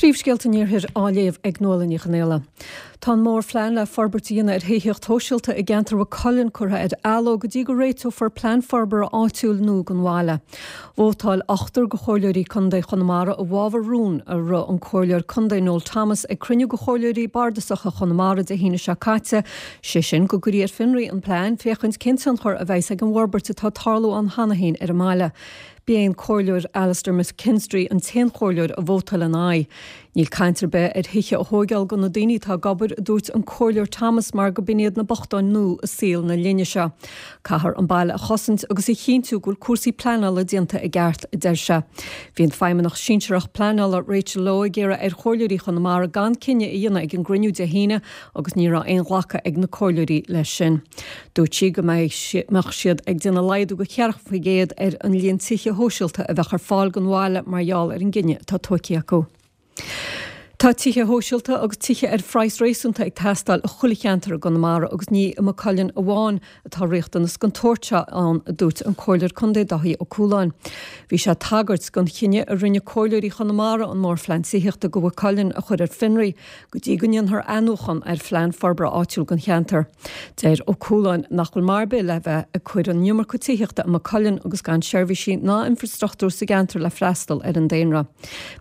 Príomhscéalta an Iarthair á léamh ag Nuala Ní Chonaola. Tá an mórphlean le forbairt a dhéanamh ar thithíocht shóisialta i gceantar Mhaigh Cuilinn curtha ar athló go dtí go réiteofar plean forbartha áitiúil nua don bhaile. Vótáil ochtar de chomhairleoirí contae Chonamara i bhfabhar rún a rith an comhairleoir contae Noel Thomas ag cruinniú de chomhairleoirí bardasacha Chonamara Dé hAoine seo caite, sé sin go gcuirfí ar fionraí an plean féachaint cén tionchar a bheas ag an bhforbairt atá ag tarlú ann cheana féin ar an mbaile. B'é an Comhairleoir Alastair McKinstry an t-aon chomhairleoir a vótáil ina aghaidh. Níl caint ar bith ar thithe a thóigeáil do na daoine atá ag obair, a dúirt an Comhairleoir Thomas, mar go b'in iad na bochtáin nua i saol na linne seo. Caithfear an baile a chosaint agus a chinntiú go bhfuil cúrsaí pleanála déanta i gceart, a deir sé. Bhí an Feidhmeannach Sinsearach Pleanála Rachel Lowe ag iarraidh ar chomhairleoirí Chonamara gan cinneadh a dhéanamh ag an gcruinniú Dé hAoine agus ní raibh aon ghlacadh ag na comhairleoirí leis sin. Dúirt sí go mbeadh siad ag déanamh laghdú de 40% ar an líon tithe shóisialta a bheadh ar fáil don bhaile mar gheall ar an gcinneadh atá tógtha acu. Tá tithe shóisialta agus tithe ar phraghas réasúnta ag teastáil i chuile cheantar i gConamara agus ní i Maigh Cuilinn amháin atá riachtanas den tsórt seo ann, a dúirt an Comhairleoir Contae Dáithí Ó Cualáin. Bhí sé ag tagairt don chinneadh a rinne comhairleoirí Chonamara an mórphlean tithíochta do Mhaigh Cuilinn a chur ar fionraí go dtí go ndéanfar athnuachan ar phlean forbartha áitiúil don cheantar. Deir Ó Cualáin nach bhfuil maith ar bith le bheith ag cur an iomarca tithíochta i Maigh Cuilinn agus gan seirbhísí ná infreastruchtúr sa gceantar le freastal ar an daonra.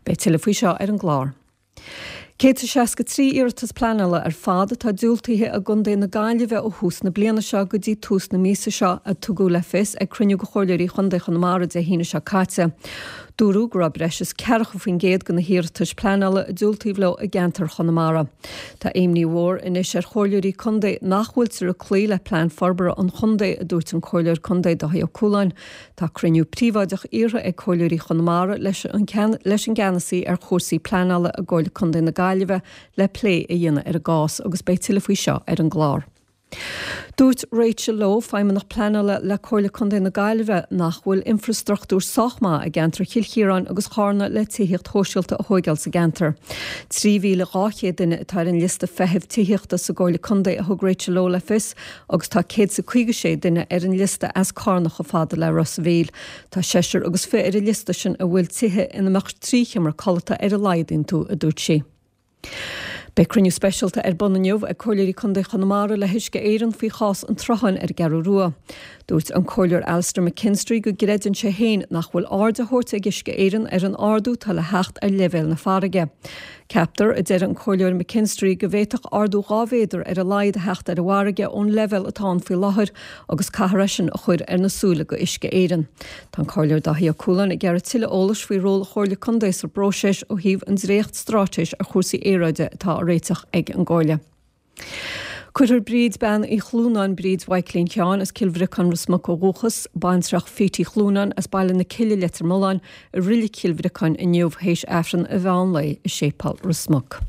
Beidh tuilleadh faoi seo ar an gclár. 163 iarratas pleanála ar fad atá diúltaithe i gContae na Gaillimhe ó thús na bliana seo go dtí tús na míosa seo, a tugadh le fios ag cruinniú de Chomhairleoirí Chontae Chonamara Dé hAoine seo caite. Dúradh go raibh breis is 40% de na hiarratais pleanála a diúltaíodh leo i gceantar Chonamara. Tá imní mhór anois ar chomhairleoirí contae nach bhfuiltear ag cloí le plean forbartha an chontae, a dúirt an Comhairleoir Contae Dáithí Ó Cualáin. Tá cruinniú príobháideach iarrtha ag comhairleoirí Chonamara leis an leis an gceannasaí ar chúrsaí pleanála i gComhairle Contae na Gaillimhe le plé a dhéanamh ar an gcás agus beidh tuilleadh faoi seo ar an gclár. Dúirt Rachel Lowe, Feidhmeannach Pleanála le Comhairle Contae na Gaillimhe, nach bhfuil infreastruchtúr sách maith i gceantar Chill Chiaráin agus Chárna le tithíocht shóisialta a thóigeáil sa gceantar. 3,200 duine atá ar an liosta feithimh tithíochta sa gComhairle Contae a thug Rachel Lowe le fios agus tá 156 duine ar an liosta as Cárna chomh fada le Ros a' Mhíl. Tá seisear agus fi ar an liosta sin a bhfuil tithe ina mbeadh 3 sheomra codlata ar a laghad iontu, a dúirt sí. Beidh cruinniú speisialta ar bun inniu ag Comhairleoirí Contae Chonamara le hUisce Éireann faoi chás an tsrutháin ar an gCeathrú Rua. Dúirt an Comhairleoir Alastair McKinstry go gcreideann sé féin nach bhfuil aird á thabhairt ag Uisce Éireann ar an ardú atá le theacht ar leibhéal na farraige. Ceaptar, a deir an Comhairleoir McKinstry, go bhféadfadh ardú 2 mhéadar ar a laghad a theacht ar an bhfarraige ón leibhéal atá ann faoi láthair agus caithfear é sin a chur ar na súile go Uisce Éireann. Tá an Comhairleoir Dáithí Ó Cualáin ag iarraidh tuilleadh eolais faoi ról an Chomhairle Contae sa bpróiseas ó thaobh an dréacht-straitéis ar chúrsaí aeráide atá á réiteach ag an gComhairle. Cuirfear Bríd Bean Uí Chlúnáin, Bríd Mhaidhcilín Sheáin as Cill Bhriocáin Ros Muc ó dhúchas, baintreach Phete Uí Chlúnáin as Baile na Cille Leitir Mealláin, i Reilig Chill Bhriocáin inniu théis Aifreann an mheán lae i Séipéal Ros Muc.